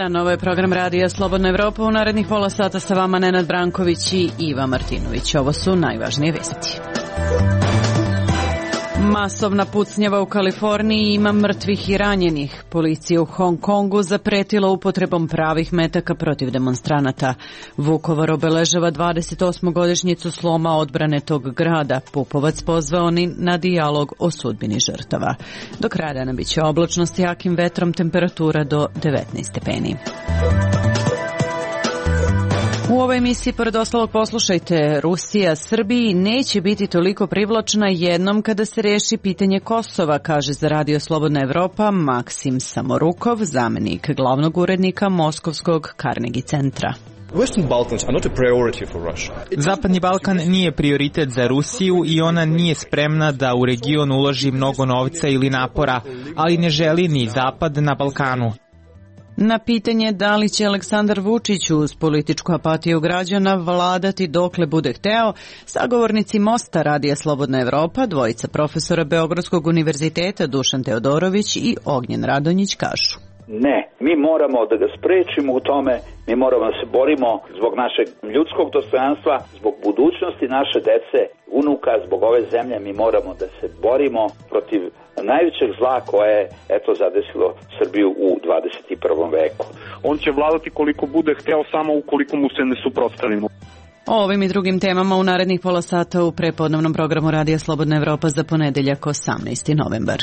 dan, ovo je program Radija Slobodna Evropa. U narednih pola sata sa vama Nenad Branković i Iva Martinović. Ovo su najvažnije vesti. Masovna pucnjava u Kaliforniji, ima mrtvih i ranjenih. Policija u Hong Kongu zapretila upotrebom pravih metaka protiv demonstranata. Vukovar obeležava 28. sloma odbrane tog grada. Pupovac pozvao na dijalog o sudbini žrtava. Do kraja dana bit će oblačno s jakim vetrom, temperatura do 19 stepeni. U ovoj emisiji, pored ostalog, poslušajte, Rusija Srbiji neće biti toliko privlačna jednom kada se reši pitanje Kosova, kaže za Radio Slobodna Evropa Maksim Samorukov, zamenik glavnog urednika Moskovskog Carnegie centra. Zapadni Balkan nije prioritet za Rusiju i ona nije spremna da u region uloži mnogo novca ili napora, ali ne želi ni Zapad na Balkanu. Na pitanje da li će Aleksandar Vučić uz političku apatiju građana vladati dokle bude hteo, sagovornici Mosta Radija Slobodna Evropa, dvojica profesora Beogradskog univerziteta Dušan Teodorović i Ognjen Radonjić kažu. Ne, mi moramo da ga sprečimo u tome, mi moramo da se borimo zbog našeg ljudskog dostojanstva, zbog budućnosti naše dece, unuka, zbog ove zemlje, mi moramo da se borimo protiv najvećeg zla koje je zadesilo Srbiju u 21. veku. On će vladati koliko bude hteo, samo ukoliko mu se ne suprotstavimo. O ovim i drugim temama u narednih pola sata u prepodnevnom programu Radija Slobodna Evropa za ponedeljak 18. novembar.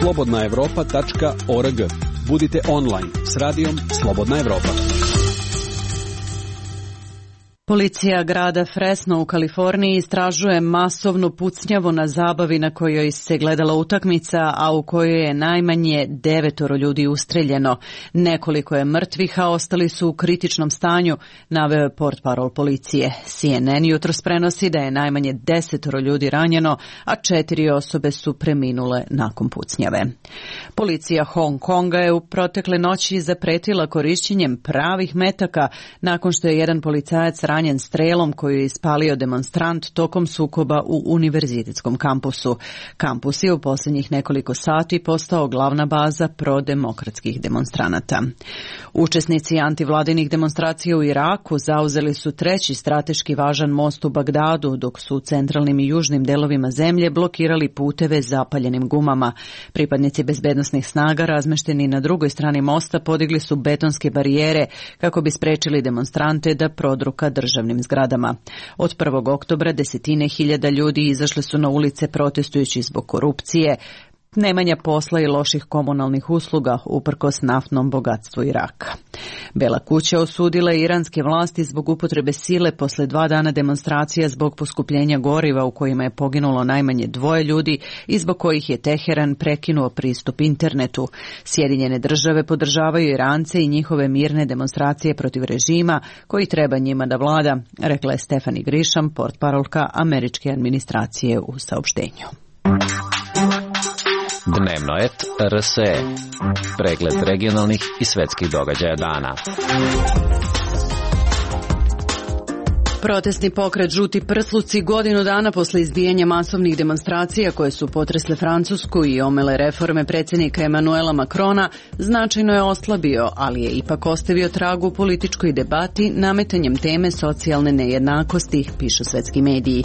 slobodnaevropa.org. Budite online s radijom Slobodna Evropa. Policija grada Fresno u Kaliforniji istražuje masovnu pucnjavu na zabavi na kojoj se gledala utakmica, a u kojoj je najmanje 9 ljudi ustreljeno. Nekoliko je mrtvih, a ostali su u kritičnom stanju, naveo je portparol policije. CNN jutros prenosi da je najmanje 10 ljudi ranjeno, a 4 osobe su preminule nakon pucnjave. Policija Hong Konga je u protekle noći zapretila korišćenjem pravih metaka nakon što je jedan policajac ranjen strelom koju je ispalio demonstrant tokom sukoba u univerzitetskom kampusu. Kampus je u posljednjih nekoliko sati postao glavna baza prodemokratskih demonstranata. Učesnici antivladinih demonstracija u Iraku zauzeli su treći strateški važan most u Bagdadu, dok su u centralnim i južnim delovima zemlje blokirali puteve zapaljenim gumama. Pripadnici bezbednosnih snaga razmešteni na drugoj strani mosta podigli su betonske barijere kako bi sprečili demonstrante da prodruka državnim zgradama. Od 1. oktobra desetine hiljada ljudi izašle su na ulice protestujući zbog korupcije, nemanja posla i loših komunalnih usluga uprkos naftnom bogatstvu Iraka. Bela kuća osudila je iranske vlasti zbog upotrebe sile posle 2 dana demonstracija zbog poskupljenja goriva u kojima je poginulo najmanje 2 ljudi i zbog kojih je Teheran prekinuo pristup internetu. Sjedinjene države podržavaju Irance i njihove mirne demonstracije protiv režima koji treba njima da vlada, rekla je Stephanie Grisham, portparolka američke administracije u saopštenju. Dnevno et RSE. Pregled regionalnih i svetskih događaja dana. Protestni pokret Žuti prsluci godinu dana posle izbijanja masovnih demonstracija koje su potresle Francusku i omele reforme predsjednika Emanuela Macrona značajno je oslabio, ali je ipak ostavio trag u političkoj debati nametanjem teme socijalne nejednakosti, pišu svetski mediji.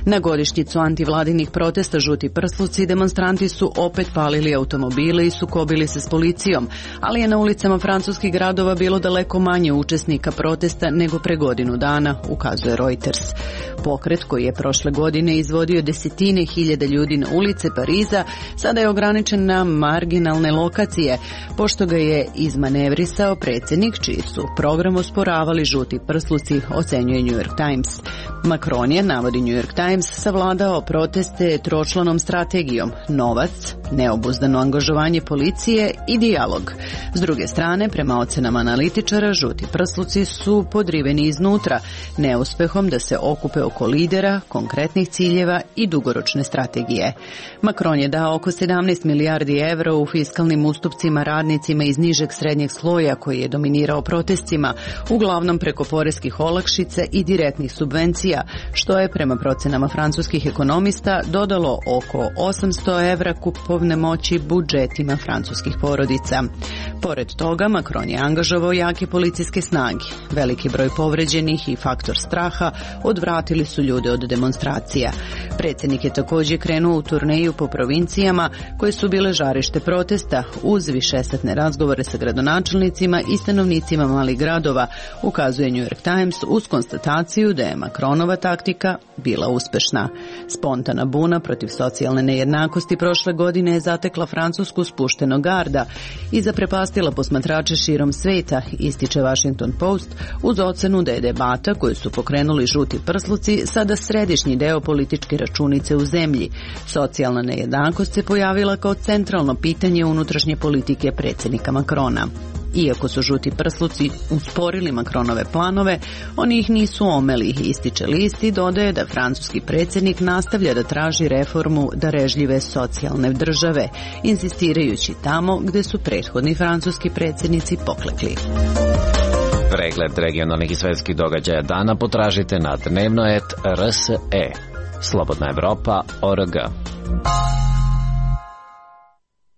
Na godišnjicu antivladinih protesta Žuti prsluci demonstranti su opet palili automobile i sukobili se s policijom, ali je na ulicama francuskih gradova bilo daleko manje učesnika protesta nego pre godinu dana, ukazuje Reuters. Pokret koji je prošle godine izvodio desetine hiljada ljudi na ulice Pariza sada je ograničen na marginalne lokacije, pošto ga je izmanevrisao predsjednik čiji su program osporavali Žuti prsluci, ocenjuje New York Times. Macron je, navodi New York Times, savladao proteste tročlanom strategijom: novac, neobuzdano angažovanje policije i dijalog. S druge strane, prema ocenama analitičara, Žuti prsluci su podriveni iznutra, neuspehom da se okupe oko lidera, konkretnih ciljeva i dugoročne strategije. Macron je dao oko 17 milijardi evra u fiskalnim ustupcima radnicima iz nižeg srednjeg sloja koji je dominirao protestima, uglavnom preko poreskih olakšica i direktnih subvencija, što je prema procenama francuskih ekonomista dodalo oko 800 evra kupovne moći budžetima francuskih porodica. Pored toga, Macron je angažovao jake policijske snage. Veliki broj povređenih i faktor straha odvratili su ljude od demonstracija. Predsjednik je također krenuo u turneju po provincijama koje su bile žarište protesta uz višesatne razgovore sa gradonačelnicima i stanovnicima malih gradova, ukazuje New York Times uz konstataciju da je Macronova taktika bila uspešna. Spontana buna protiv socijalne nejednakosti prošle godine je zatekla Francusku spuštenog garda i zaprepastila posmatrače širom sveta, ističe Washington Post, uz ocenu da je debata koju su pokrenuli žuti prsluci sada središnji deo političke računice u zemlji. Socijalna nejednakost se pojavila kao centralno pitanje unutrašnje politike predsjednika Macrona. Iako su žuti prsluci usporili Macronove planove, oni ih nisu omeli, ističe list i dodaje da francuski predsjednik nastavlja da traži reformu darežljive socijalne države, insistirajući tamo gde su prethodni francuski predsjednici poklekli. Pregled regionalnih i svetskih događaja dana potražite na dnevno.rse. Slobodna Evropa.org.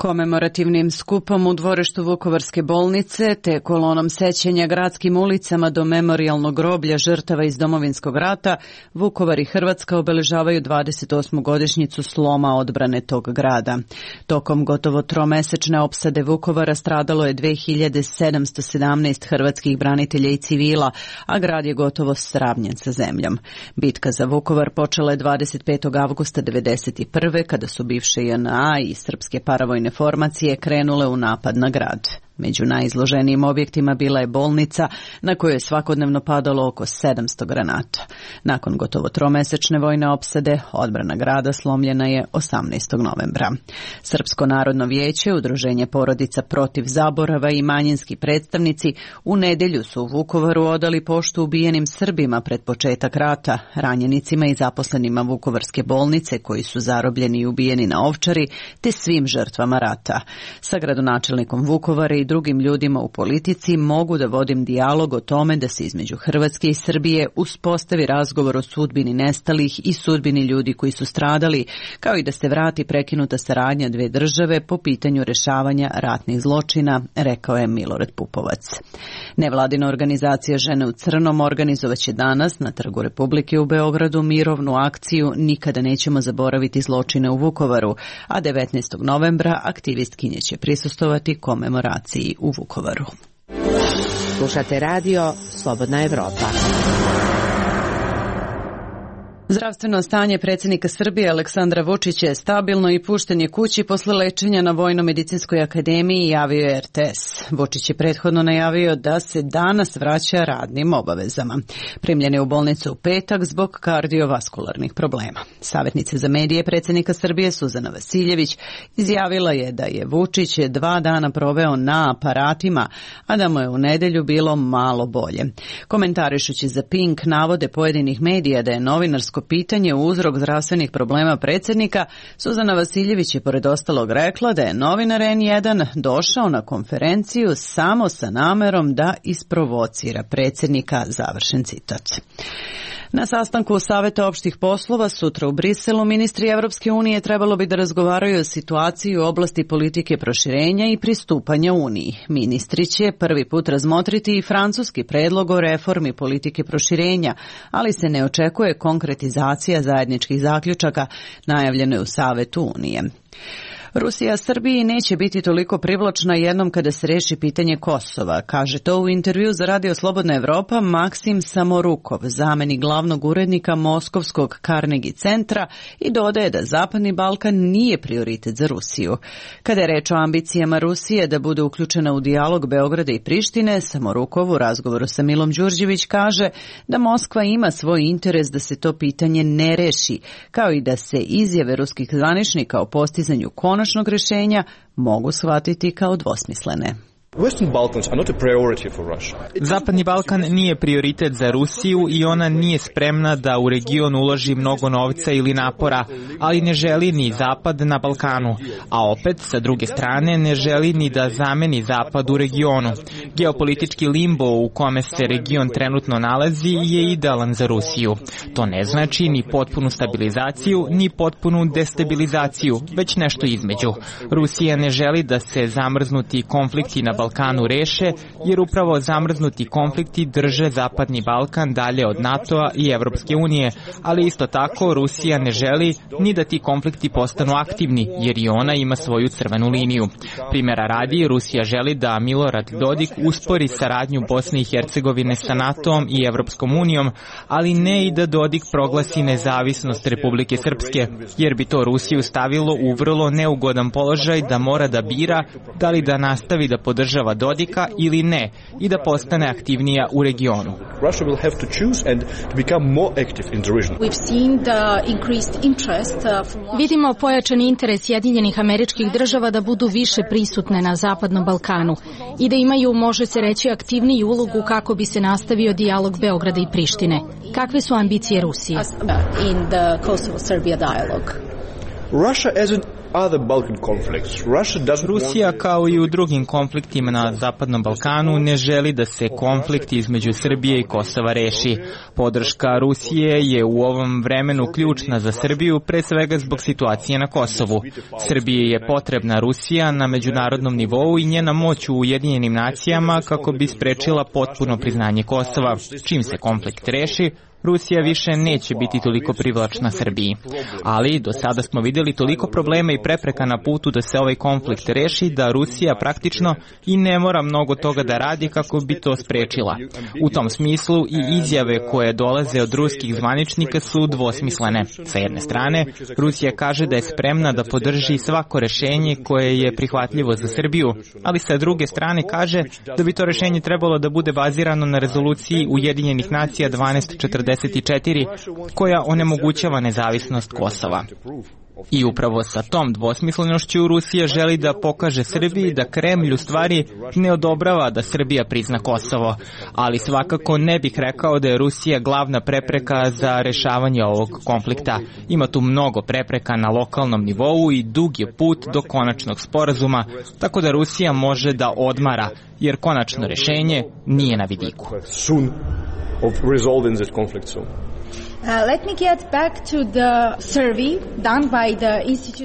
Komemorativnim skupom u dvorištu Vukovarske bolnice te kolonom sećanja gradskim ulicama do memorijalnog groblja žrtava iz Domovinskog rata, Vukovar i Hrvatska obeležavaju 28. godišnjicu sloma odbrane tog grada. Tokom gotovo tromesečne opsade Vukovara stradalo je 2717 hrvatskih branitelja i civila, a grad je gotovo sravnjen sa zemljom. Bitka za Vukovar počela je 25. avgusta 1991. kada su bivše JNA i srpske paravojne formacije krenule u napad na grad. Među najizloženijim objektima bila je bolnica na kojoj je svakodnevno padalo oko 700 granata. Nakon gotovo tromesečne vojne opsade, odbrana grada slomljena je 18. novembra. Srpsko narodno vijeće, Udruženje porodica protiv zaborava i manjinski predstavnici u nedjelju su u Vukovaru odali poštu ubijenim Srbima pred početak rata, ranjenicima i zaposlenima Vukovarske bolnice koji su zarobljeni i ubijeni na Ovčari, te svim žrtvama rata. Sa gradonačelnikom Vukovara i drugim ljudima u politici mogu da vodim dijalog o tome da se između Hrvatske i Srbije uspostavi razgovor o sudbini nestalih i sudbini ljudi koji su stradali, kao i da se vrati prekinuta saradnja dve države po pitanju rešavanja ratnih zločina, rekao je Milorad Pupovac. Nevladina organizacija Žene u crnom organizovaće danas na Trgu Republike u Beogradu mirovnu akciju Nikada nećemo zaboraviti zločine u Vukovaru, a 19. novembra aktivistkinje će prisustvovati komemoraciji u Vukovaru. Slušate radio Slobodna Evropa. Zdravstveno stanje predsjednika Srbije Aleksandra Vučića je stabilno i pušten je kući posle lečenja na Vojno-medicinskoj akademiji, javio je RTS. Vučić je prethodno najavio da se danas vraća radnim obavezama. Primljen je u bolnicu u petak zbog kardiovaskularnih problema. Savjetnica za medije predsjednika Srbije Suzana Vasiljević izjavila je da je Vučić 2 dana proveo na aparatima, a da mu je u nedjelju bilo malo bolje. Komentarišući za Pink navode pojedinih medija da je novinarsko pitanje uzrok zdravstvenih problema predsjednika, Suzana Vasiljević je pored ostalog rekla da je novinar N1 došao na konferenciju samo sa namerom da isprovocira predsjednika, završen citat. Na sastanku Saveta opštih poslova sutra u Briselu ministri Evropske unije trebalo bi da razgovaraju o situaciji u oblasti politike proširenja i pristupanja Uniji. Ministri će prvi put razmotriti i francuski predlog o reformi politike proširenja, ali se ne očekuje konkretizacija zajedničkih zaključaka, najavljeno je u Savetu Unije. Rusija Srbiji neće biti toliko privlačna jednom kada se reši pitanje Kosova, kaže to u intervju za Radio Slobodna Evropa Maksim Samorukov, zamenik glavnog urednika Moskovskog Carnegie centra, i dodaje da Zapadni Balkan nije prioritet za Rusiju. Kada je reč o ambicijama Rusije da bude uključena u dijalog Beograda i Prištine, Samorukov u razgovoru sa Milom Đurđević kaže da Moskva ima svoj interes da se to pitanje ne reši, kao i da se izjave ruskih zvaničnika o postizanju konačnog rješenja mogu shvatiti kao dvosmislene. Zapadni Balkan nije prioritet za Rusiju i ona nije spremna da u region uloži mnogo novca ili napora, ali ne želi ni Zapad na Balkanu, a opet, sa druge strane, ne želi ni da zameni Zapad u regionu. Geopolitički limbo u kome se region trenutno nalazi je idealan za Rusiju. To ne znači ni potpunu stabilizaciju, ni potpunu destabilizaciju, već nešto između. Rusija ne želi da se zamrznuti konflikti na Balkanu reše, jer upravo zamrznuti konflikti drže Zapadni Balkan dalje od NATO-a i Evropske unije, ali isto tako Rusija ne želi ni da ti konflikti postanu aktivni, jer i ona ima svoju crvenu liniju. Primjera radi, Rusija želi da Milorad Dodik uspori saradnju Bosne i Hercegovine sa NATO-om i Evropskom unijom, ali ne i da Dodik proglasi nezavisnost Republike Srpske, jer bi to Rusiju stavilo u vrlo neugodan položaj da mora da bira da li da nastavi da podržava Dodika ili ne i da postane aktivnija u regionu. Vidimo pojačani interes Sjedinjenih Američkih Država da budu više prisutne na Zapadnom Balkanu i da imaju, može se reći, aktivniju ulogu kako bi se nastavio dijalog Beograda i Prištine. Kakve su ambicije Rusije? Rusija, kao i u drugim konfliktima na Zapadnom Balkanu, ne želi da se konflikt između Srbije i Kosova reši. Podrška Rusije je u ovom vremenu ključna za Srbiju, pre svega zbog situacije na Kosovu. Srbiji je potrebna Rusija na međunarodnom nivou i njena moć u Ujedinjenim nacijama kako bi sprečila potpuno priznanje Kosova. Čim se konflikt reši, Rusija više neće biti toliko privlačna Srbiji. Ali do sada smo vidjeli toliko problema i prepreka na putu da se ovaj konflikt reši da Rusija praktično i ne mora mnogo toga da radi kako bi to sprečila. U tom smislu i izjave koje dolaze od ruskih zvaničnika su dvosmislene. Sa jedne strane, Rusija kaže da je spremna da podrži svako rešenje koje je prihvatljivo za Srbiju, ali sa druge strane kaže da bi to rešenje trebalo da bude bazirano na rezoluciji Ujedinjenih nacija 1244 koja onemogućava nezavisnost Kosova. I upravo sa tom dvosmislenošću Rusija želi da pokaže Srbiji da Kremlj u stvari ne odobrava da Srbija prizna Kosovo, ali svakako ne bih rekao da je Rusija glavna prepreka za rešavanje ovog konflikta. Ima tu mnogo prepreka na lokalnom nivou i dug je put do konačnog sporazuma, tako da Rusija može da odmara, jer konačno rešenje nije na vidiku.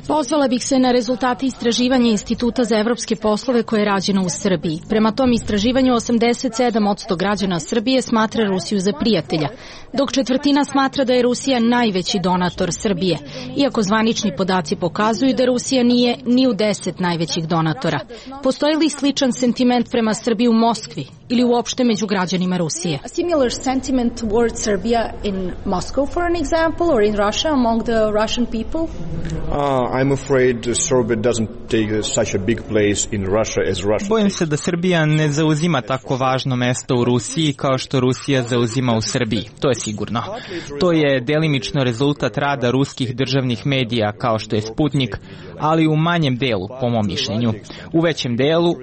Pozvala bih se na rezultate istraživanja Instituta za evropske poslove koje je rađeno u Srbiji. Prema tom istraživanju 87% građana Srbije smatra Rusiju za prijatelja, dok četvrtina smatra da je Rusija najveći donator Srbije, iako zvanični podaci pokazuju da Rusija nije ni u 10 najvećih donatora. Postoji li sličan sentiment prema Srbiji u Moskvi ili uopšte među građanima Rusije? A similar sentiment towards Serbia in Moscow, for an example, or in Russia among the Russian people? I'm afraid Serbia doesn't take such a big place in Russia as Russia. Bojim se da Srbija ne zauzima tako važno mesto u Rusiji kao što Rusija zauzima u Srbiji. To je sigurno. To je delimično rezultat rada ruskih državnih medija kao što je Sputnik, ali u manjem delu, po mom mišljenju. U većem delu,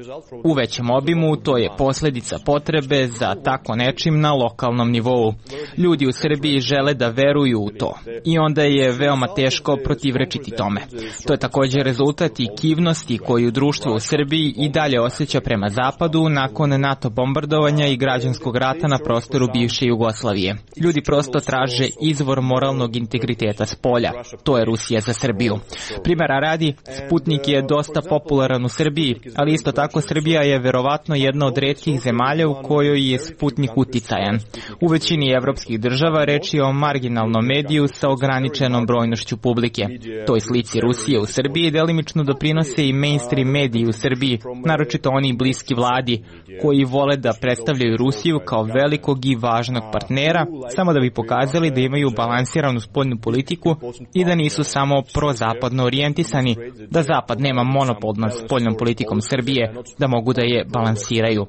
u većem obimu, to je posljedica potrebe za tako nečim na lokalnom nivou. Ljudi u Srbiji žele da veruju u to i onda je veoma teško protivrečiti tome. To je također rezultat i kivnosti koju društvo u Srbiji i dalje osjeća prema Zapadu nakon NATO bombardovanja i građanskog rata na prostoru bivše Jugoslavije. Ljudi prosto traže izvor moralnog integriteta s polja. To je Rusija za Srbiju. Primjera radi, Sputnik je dosta popularan u Srbiji, ali isto tako Srbija je verovatno jedna od retkih zemalja u kojoj je Sputnik uticajan. U većini evropskih država reč je o marginalnom mediju sa ograničenom brojnošću publike. Toj slici Rusije u Srbiji delimično doprinose i mainstream mediji u Srbiji, naročito oni bliski vladi, koji vole da predstavljaju Rusiju kao velikog i važnog partnera, samo da bi pokazali da imaju balansiranu spoljnu politiku i da nisu samo prozapadno orijentisani, da Zapad nema monopol nad spoljnom politikom Srbije, da mogu da je balansiraju.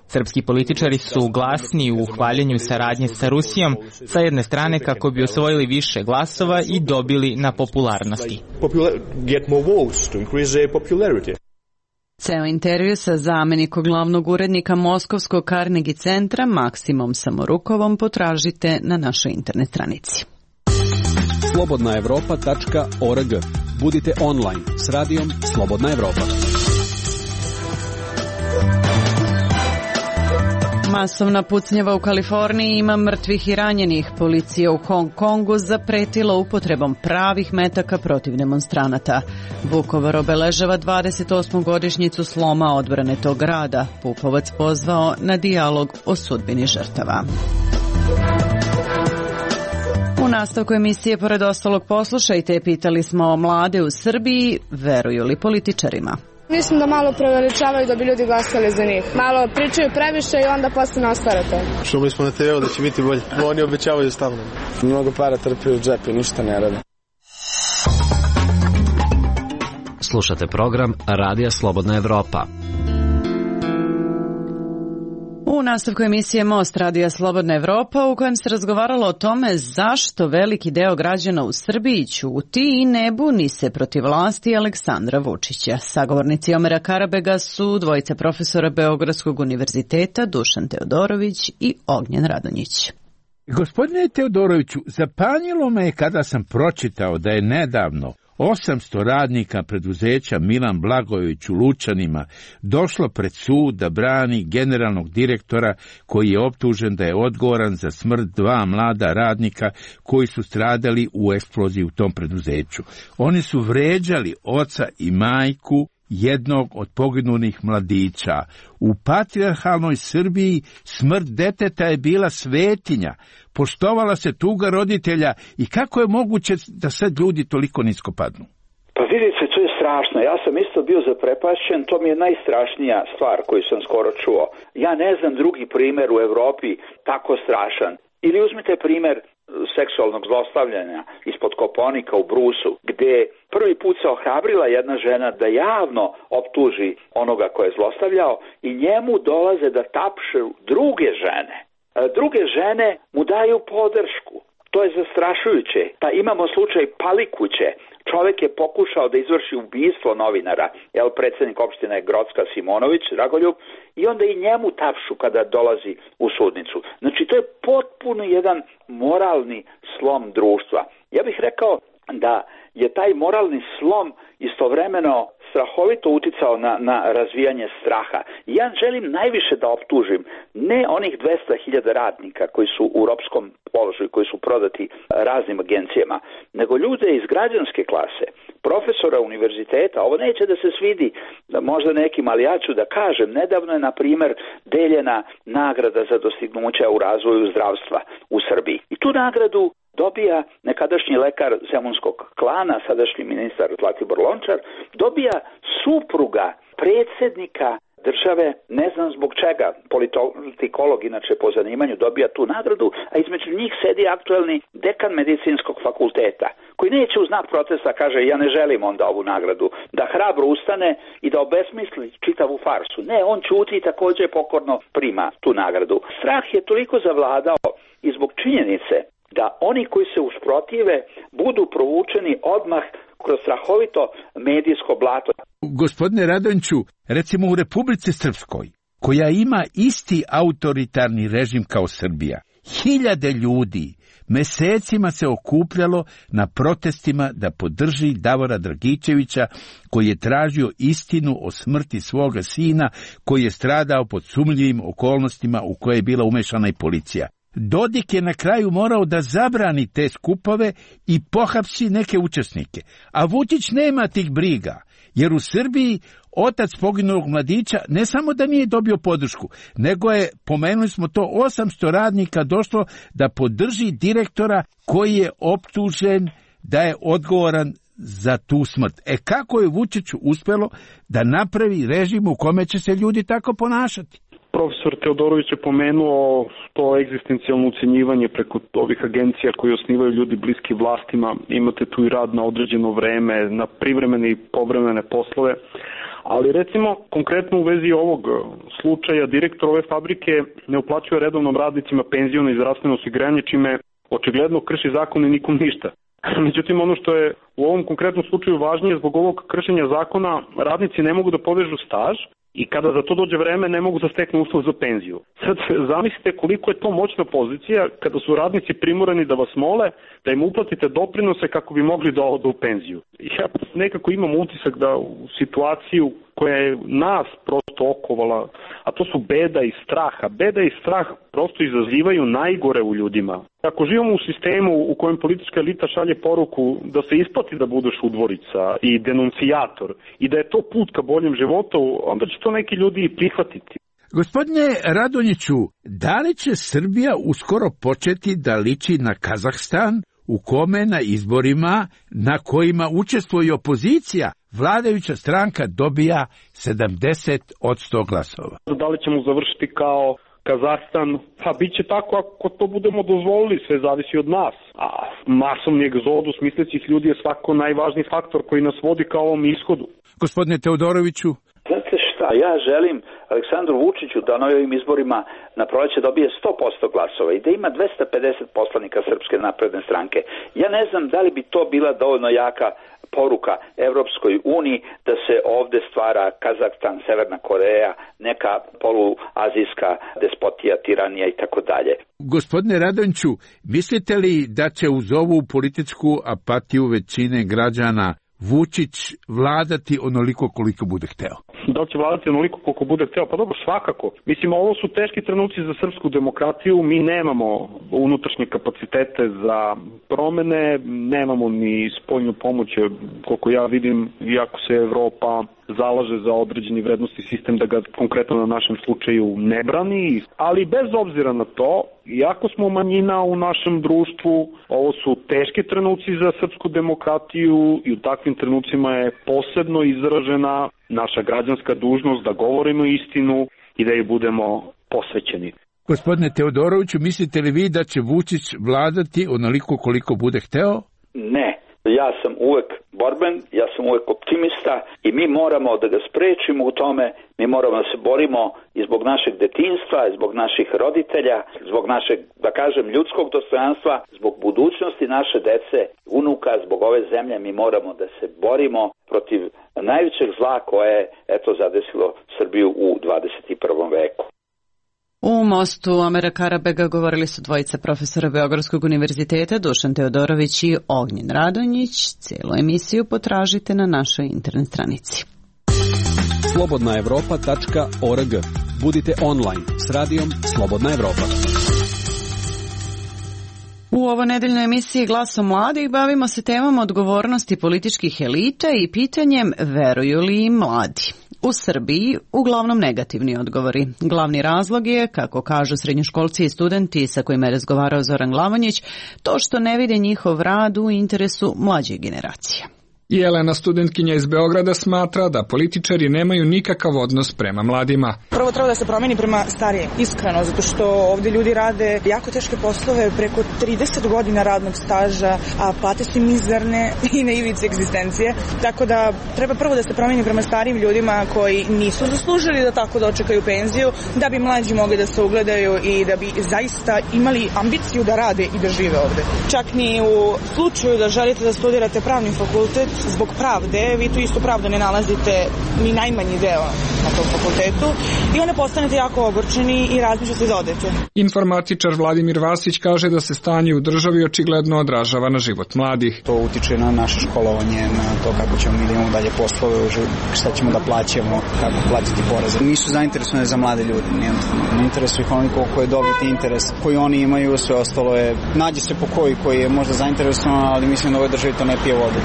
Srpski političari su glasni u hvaljenju saradnje sa Rusijom, sa jedne strane kako bi osvojili više glasova i dobili na popularnosti. Ceo intervju sa zamenikom glavnog urednika Moskovskog Carnegie centra Maksimom Samorukovom potražite na našoj internet stranici. slobodnaevropa.org. Budite online s radijom Slobodna Evropa. Masovna pucnjava u Kaliforniji, ima mrtvih i ranjenih. Policija u Hong Kongu zapretila upotrebom pravih metaka protiv demonstranata. Vukovar obeležava 28. godišnjicu sloma odbrane tog grada. Pupovac pozvao na dijalog o sudbini žrtava. U nastavku emisije, pored ostalog, poslušajte, pitali smo mlade u Srbiji, veruju li političarima? Mislim da malo preveličavaju da bi ljudi glasali za njih. Malo pričaju previše i onda posle ne ostare to. Čuli smo na TV-u da će biti bolje. Oni obećavaju stalno. Mnogo para trpi u džep i ništa ne rade. Slušate program Radija Slobodna Evropa. U nastavku emisije Most Radija Slobodna Evropa, u kojem se razgovaralo o tome zašto veliki deo građana u Srbiji ćuti i ne buni se protiv vlasti Aleksandra Vučića. Sagovornici Omera Karabega su dvojica profesora Beogradskog univerziteta, Dušan Teodorović i Ognjen Radonjić. Gospodine Teodoroviću, zapanjilo me kada sam pročitao da je nedavno 800 radnika preduzeća Milan Blagojević u Lučanima došlo pred sud da brani generalnog direktora koji je optužen da je odgovoran za smrt 2 mlada radnika koji su stradali u eksploziji u tom preduzeću. Oni su vređali oca i majku jednog od poginulih mladića. U patrijarhalnoj Srbiji smrt deteta je bila svetinja, poštovala se tuga roditelja i kako je moguće da sad ljudi toliko nisko padnu? Pa vidite, to je strašno. Ja sam isto bio zaprepašćen, to mi je najstrašnija stvar koju sam skoro čuo. Ja ne znam drugi primjer u Evropi tako strašan. Ili uzmite primjer seksualnog zlostavljanja ispod Kopaonika u Brusu, gdje prvi put se ohrabrila jedna žena da javno optuži onoga ko je zlostavljao i njemu dolaze da tapšu druge žene. Druge žene mu daju podršku. To je zastrašujuće. Pa imamo slučaj Palikuće. Čovjek je pokušao da izvrši ubistvo novinara, predsjednik opštine Grocka Simonović, Dragoljub, i onda i njemu tapšu kada dolazi u sudnicu. Znači, to je potpuno jedan moralni slom društva. Ja bih rekao da je taj moralni slom istovremeno strahovito uticao na razvijanje straha. Ja želim najviše da optužim ne onih 200.000 radnika koji su u ropskom položaju, koji su prodati raznim agencijama, nego ljude iz građanske klase, profesora univerziteta. Ovo neće da se svidi možda nekim, ali ja ću da kažem, nedavno je na primjer deljena nagrada za dostignuća u razvoju zdravstva u Srbiji. I tu nagradu dobija nekadašnji lekar zemunskog klana, sadašnji ministar Zlatibor Lončar, dobija supruga predsjednika države, ne znam zbog čega, politikolog inače po zanimanju dobija tu nagradu, a između njih sedi aktuelni dekan medicinskog fakulteta, koji neće u znak protesta kaže ja ne želim onda ovu nagradu, da hrabro ustane i da obesmisli čitavu farsu. Ne, on ćuti i također pokorno prima tu nagradu. Strah je toliko zavladao i zbog činjenice da oni koji se usprotive budu provučeni odmah kroz strahovito medijsko blato. Gospodine Radonjiću, recimo u Republici Srpskoj, koja ima isti autoritarni režim kao Srbija, 1000 ljudi mesecima se okupljalo na protestima da podrži Davora Dragičevića, koji je tražio istinu o smrti svoga sina, koji je stradao pod sumnjivim okolnostima u koje je bila umešana i policija. Dodik je na kraju morao da zabrani te skupove i pohapsi neke učesnike. A Vučić nema tih briga, jer u Srbiji otac poginulog mladića ne samo da nije dobio podršku, nego je, pomenuli smo to, 800 radnika došlo da podrži direktora koji je optužen da je odgovoran za tu smrt. Kako je Vučiću uspelo da napravi režim u kome će se ljudi tako ponašati? Profesor Teodorović je pomenuo to egzistencijalno ucenjivanje preko ovih agencija koji osnivaju ljudi bliski vlastima. Imate tu i rad na određeno vreme, na privremene i povremene poslove. Ali recimo, konkretno u vezi ovog slučaja, direktor ove fabrike ne uplaćuje redovnom radnicima penziono i zdravstveno osiguranje, čime očigledno krši zakon i nikom ništa. Međutim, ono što je u ovom konkretnom slučaju važnije, zbog ovog kršenja zakona, radnici ne mogu da povežu staž i kada za to dođe vreme ne mogu da steknu uslov za penziju. Sad zamislite koliko je to moćna pozicija kada su radnici primorani da vas mole da im uplatite doprinose kako bi mogli da odu u penziju. Ja nekako imam utisak da u situaciju koja je nas prosto okovala, a to su beda i strah, a beda i strah prosto izazivaju najgore u ljudima. Ako živimo u sistemu u kojem politička elita šalje poruku da se isplati da budeš udvorica i denuncijator i da je to put ka boljem životu, onda će to neki ljudi i prihvatiti. Gospodine Radonjiću, da li će Srbija uskoro početi da liči na Kazahstan, u kome na izborima na kojima učestvuje opozicija, vladajuća stranka dobija 70% glasova? Da li ćemo završiti kao Kazahstan? Pa bit će tako ako to budemo dozvolili, sve zavisi od nas. A masovni egzodus mislećih ljudi je svako najvažniji faktor koji nas vodi ka ovom ishodu. Gospodine Teodoroviću? Znate šta, ja želim Aleksandru Vučiću da na ovim izborima na proleće dobije 100% glasova i da ima 250 poslanika Srpske napredne stranke. Ja ne znam da li bi to bila dovoljno jaka poruka Evropskoj uniji da se ovde stvara Kazahstan, Severna Koreja, neka poluazijska despotija, tiranija i tako dalje. Gospodine Radonjiću, mislite li da će uz ovu političku apatiju većine građana Vučić vladati onoliko koliko bude hteo? Da li će vladati onoliko koliko bude hteo? Pa dobro, svakako. Mislim, ovo su teški trenuci za srpsku demokratiju. Mi nemamo unutrašnje kapacitete za promene, nemamo ni spoljnu pomoć, koliko ja vidim, iako se Evropa zalaže za određeni vrednosti sistem da ga konkretno na našem slučaju ne brani, ali bez obzira na to, iako smo manjina u našem društvu, ovo su teški trenuci za srpsku demokratiju i u takvim trenucima je posebno izražena naša građanska dužnost da govorimo istinu i da je budemo posvećeni. Gospodine Teodoroviću, mislite li vi da će Vučić vladati onoliko koliko bude hteo? Ne. Ja sam uvek borben, ja sam uvek optimista i mi moramo da ga sprečimo u tome, mi moramo da se borimo i zbog našeg detinjstva, i zbog naših roditelja, zbog našeg, da kažem, ljudskog dostojanstva, zbog budućnosti naše dece, unuka, zbog ove zemlje mi moramo da se borimo protiv najvećeg zla koje je zadesilo Srbiju u 21. veku. U mostu Amera Karabega govorili su dvojica profesora Beogradskog univerziteta, Dušan Teodorović i Ognjen Radonjić. Cijelu emisiju potražite na našoj internet stranici. slobodnaevropa.org. Budite online s radijom Slobodna Evropa. U ovo nedeljnoj emisiji Glasom mladih bavimo se temom odgovornosti političkih elita i pitanjem veruju li im mladi. U Srbiji uglavnom negativni odgovori. Glavni razlog je, kako kažu srednjoškolci i studenti sa kojima je razgovarao Zoran Glavonjić, to što ne vide njihov rad u interesu mlađih generacija. Jelena, studentkinja iz Beograda, smatra da političari nemaju nikakav odnos prema mladima. Prvo treba da se promeni prema starijim, iskreno, zato što ovde ljudi rade jako teške poslove, preko 30 godina radnog staža, a plate su mizerne i na ivici egzistencije. Tako da treba prvo da se promeni prema starijim ljudima koji nisu zaslužili da tako dočekaju penziju, da bi mlađi mogli da se ugledaju i da bi zaista imali ambiciju da rade i da žive ovde. Čak ni u slučaju da želite da studirate pravni fakultet, zbog pravde, vi tu istu pravdu ne nalazite ni najmanji deo na tom fakultetu i onda postanete jako ogorčeni i razmišljate da odete. Informatičar Vladimir Vasić kaže da se stanje u državi očigledno odražava na život mladih. To utiče na naše školovanje, na to kako ćemo mi imamo dalje poslove, šta ćemo da plaćamo, kako platiti poreze. Nisu zainteresovani za mlade ljude, ne interesuje ih onoliko koji je dobiti interes koji oni imaju, sve ostalo je, nađe se po koji je možda zainteresovan, ali mislim da u ovoj državi to ne pije vodu.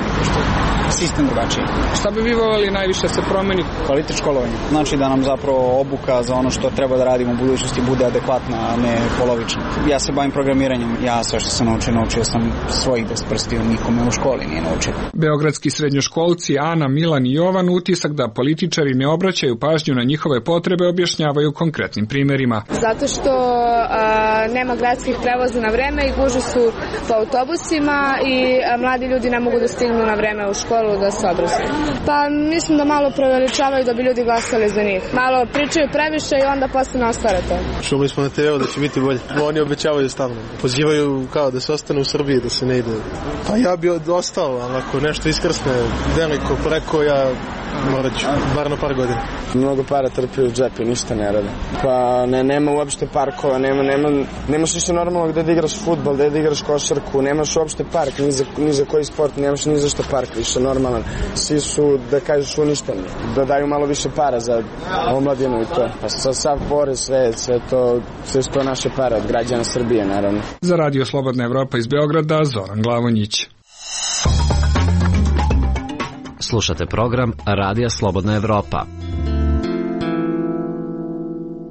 Sistem drugačiji. Šta bi vi voljeli najviše se promeni? Kvalitet školovanja. Znači da nam zapravo obuka za ono što treba da radimo u budućnosti bude adekvatna, a ne polovična. Ja se bavim programiranjem. Ja sve što sam naučio sam svojih 10 prstiju, nikome u školi nije naučio. Beogradski srednjoškolci Ana, Milan i Jovan pritisak da političari ne obraćaju pažnju na njihove potrebe objašnjavaju konkretnim primerima. Zato što nema gradskih prevoza na vreme i gužve su po autobusima i mladi ljudi ne mogu da stignu na vreme u školu da se obrazuju. Pa mislim da malo preveličavaju da bi ljudi glasali za njih. Malo pričaju previše i onda posle ne ostvare to. Čuli smo na TV da će biti bolje. Oni obećavaju stalno. Pozivaju kao da se ostane u Srbiji, da se ne ide. Pa ja bi ostao, ali ako nešto iskrsne veliko preko, ja morat ću, bar na par godina. Mnogo para trpi u džep i ništa ne rade. Pa nema uopšte parkova, nemaš ništa normalno gde da igraš fudbal, gde da igraš košarku, nemaš uopšte park, ni za koji sport, nemaš ni za šta park, više normalan. Svi su, da kažeš, uništeni, da daju malo više para za omladinu i to. Pa sav porez, sve to naše pare od građana Srbije, naravno. Za Radio Slobodna Evropa iz Beograda, Zoran Glavonjić. Slušate program Radija Slobodna Evropa.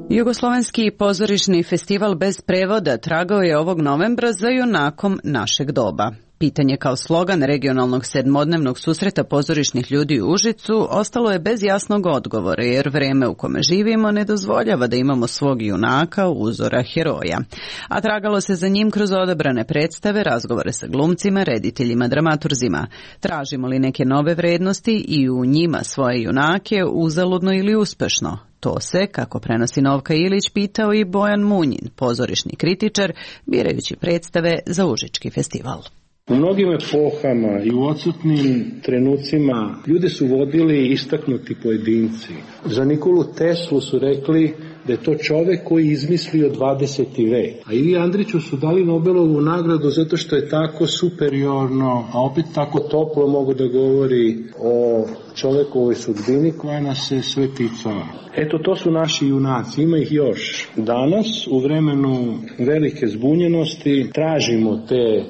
Jugoslovenski pozorišni festival bez prevoda tragao je ovog novembra za junakom našeg doba. Pitanje kao slogan regionalnog sedmodnevnog susreta pozorišnih ljudi u Užicu ostalo je bez jasnog odgovora, jer vreme u kome živimo ne dozvoljava da imamo svog junaka, uzora, heroja. A tragalo se za njim kroz odabrane predstave, razgovore sa glumcima, rediteljima, dramaturzima. Tražimo li neke nove vrednosti i u njima svoje junake, uzaludno ili uspešno? To se, kako prenosi Novka Ilić, pitao i Bojan Munjin, pozorišni kritičar, birajući predstave za Užički festival. U mnogim epohama i u odsutnim trenucima ljude su vodili istaknuti pojedinci. Za Nikolu Teslu su rekli da je to čovek koji izmislio 20. vek. A Ivi Andriću su dali Nobelovu nagradu zato što je tako superiorno, a opet tako toplo mogu da govori o čovekovoj sudbini koja nas se sve ticala. Eto, to su naši junaci, ima ih još. Danas, u vremenu velike zbunjenosti, tražimo te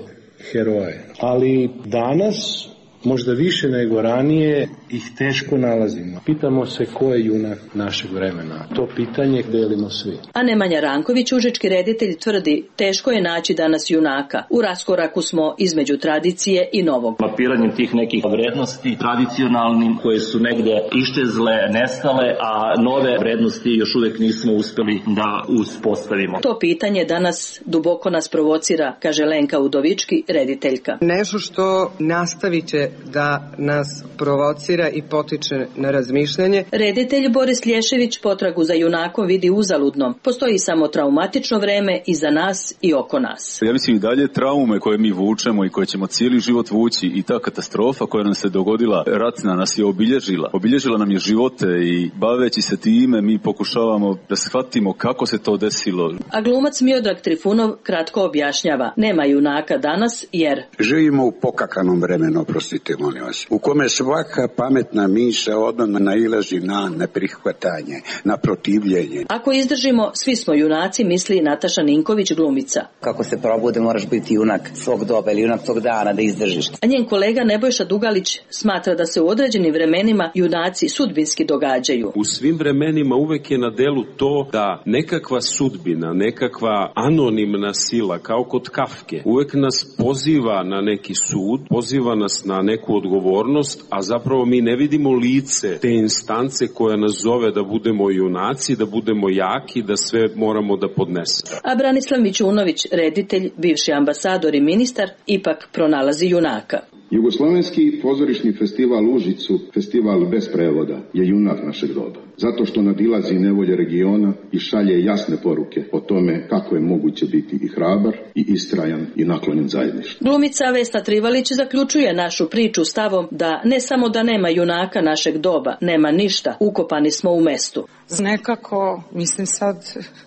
heroje. Ali danas, možda više nego ranije, ih teško nalazimo. Pitamo se ko je junak našeg vremena. To pitanje delimo svi. A Nemanja Ranković, užički reditelj, tvrdi teško je naći danas junaka. U raskoraku smo između tradicije i novog. Mapiranjem tih nekih vrednosti tradicionalnim koje su negde iščezle, nestale, a nove vrednosti još uvek nismo uspeli da uspostavimo. To pitanje danas duboko nas provocira, kaže Lenka Udovički, rediteljka. Nešto što nastavit će da nas provocira i potiče na razmišljanje. Reditelj Boris Lješević potragu za junakom vidi uzaludnom. Postoji samo traumatično vreme i za nas i oko nas. Ja mislim i dalje traume koje mi vučemo i koje ćemo cijeli život vući i ta katastrofa koja nam se dogodila, ratna, nas je obilježila. Obilježila nam je živote i baveći se time mi pokušavamo da shvatimo kako se to desilo. A glumac Miodrag Trifunov kratko objašnjava. Nema junaka danas jer živimo u pokakanom vremenu, oprostite molim vas, u kome svaka pametna misao odmah nailazi na neprihvatanje, na protivljenje. Ako izdržimo, svi smo junaci, misli Nataša Ninković, glumica. Kako se probude, moraš biti junak svog doba ili junak tog dana da izdržiš. A njen kolega Nebojša Dugalić smatra da se u određenim vremenima junaci sudbinski događaju. U svim vremenima uvek je na delu to da nekakva sudbina, nekakva anonimna sila, kao kod Kafke, uvek nas poziva na neki sud, poziva nas na neku odgovornost, a zapravo mi ne vidimo lice te instance koja nas zove da budemo junaci, da budemo jaki, da sve moramo da podnesemo. A Branislav Mićunović, reditelj, bivši ambasador i ministar, ipak pronalazi junaka. Jugoslovenski pozorišni festival u Užicu, festival bez prevoda, je junak našeg doba. Zato što nadilazi nevolje regiona i šalje jasne poruke o tome kako je moguće biti i hrabar, i istrajan, i naklonjen zajedništvu. Glumica Vesna Trivalić zaključuje našu priču stavom da ne samo da nema junaka našeg doba, nema ništa, ukopani smo u mestu. Nekako, mislim sad,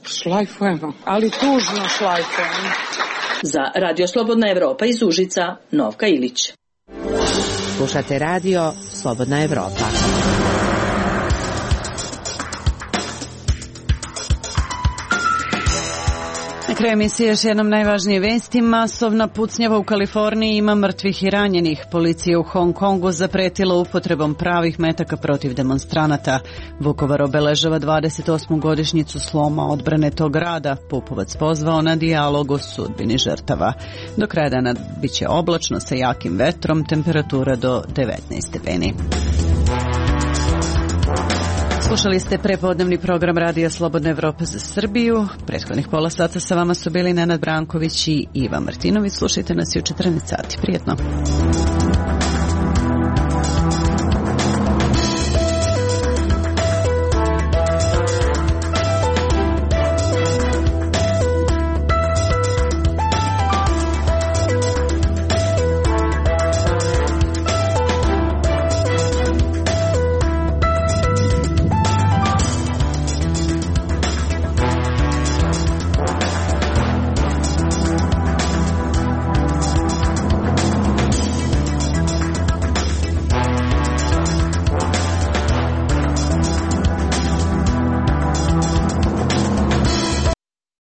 šlajfujemo, ali tužno šlajfujemo. Za Radio Slobodna Evropa iz Užica, Novka Ilić. Slušate Radio Slobodna Evropa. Na kraju emisije još jednom najvažnije vesti. Masovna pucnjava u Kaliforniji, ima mrtvih i ranjenih. Policija u Hong Kongu zapretila upotrebom pravih metaka protiv demonstranata. Vukovar obeležava 28. godišnjicu sloma odbrane tog grada. Pupovac pozvao na dijalog o sudbini žrtava. Do kraja dana bit će oblačno sa jakim vetrom, temperatura do 19 stepeni. Slušali ste prepodnevni program Radija Slobodna Evropa za Srbiju. Prethodnih pola sata sa vama su bili Nenad Branković i Iva Martinović. Slušajte nas i u 14 sati. Prijetno.